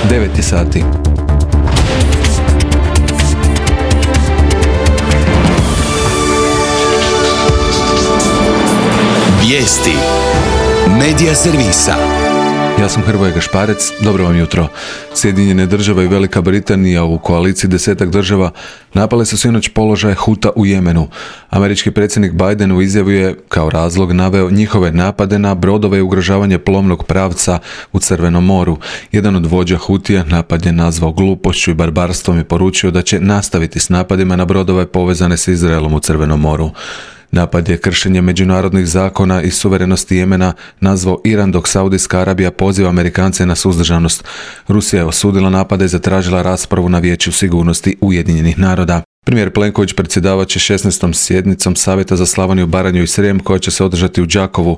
9 sati. Vijesti Medija servisa. Ja sam Hrvoje Gašparec, dobro vam jutro. Sjedinjene države i Velika Britanija u koaliciji 10 država napale su sinoć položaj Huta u Jemenu. Američki predsjednik Biden u izjavi je kao razlog naveo njihove napade na brodove i ugrožavanje plovnog pravca u Crvenom moru. Jedan od vođa Hutija napad je nazvao glupošću i barbarstvom i poručio da će nastaviti s napadima na brodove povezane s Izraelom u Crvenom moru. Napad je kršenje međunarodnih zakona i suverenosti Jemena nazvao Iran, dok Saudijska Arabija poziva Amerikance na suzdržanost. Rusija je osudila napade i zatražila raspravu na Vijeću sigurnosti Ujedinjenih naroda. Premijer Plenković predsjedavat će 16. sjednicom Savjeta za Slavoniju, Baranju i Srijem koja će se održati u Đakovu.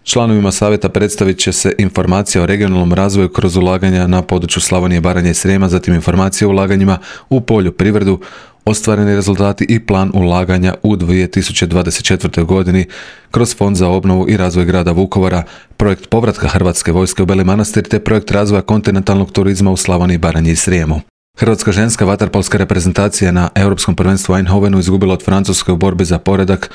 Članovima savjeta predstavit će se informacija o regionalnom razvoju kroz ulaganja na području Slavonije, Baranje i Srijema, zatim informacije o ulaganjima u poljoprivredu, ostvareni rezultati i plan ulaganja u 2024. godini kroz Fond za obnovu i razvoj grada Vukovara, projekt povratka Hrvatske vojske u Beli Manastir te projekt razvoja kontinentalnog turizma u Slavoniji, Baranji i Srijemu. Hrvatska ženska vaterpolska reprezentacija na Europskom prvenstvu u Eindhovenu izgubila od Francuske u borbi za poredak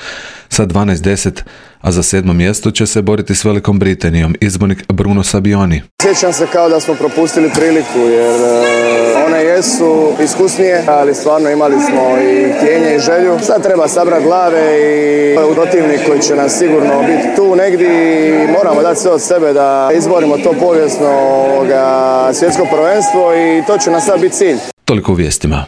sa 12-10, a za 7. mjesto će se boriti s Velikom Britanijom izbornik Bruno Sabioni. Sjećam se kao da smo propustili priliku jer one jesu iskusnije, ali stvarno imali smo i htjenje i želju. Sad treba sabrati glave i protivnik koji će nas sigurno biti tu negdje i moramo dati sve od sebe da izborimo to povijesno svjetsko prvenstvo i to će nas sad biti cilj. Toliko u vijestima.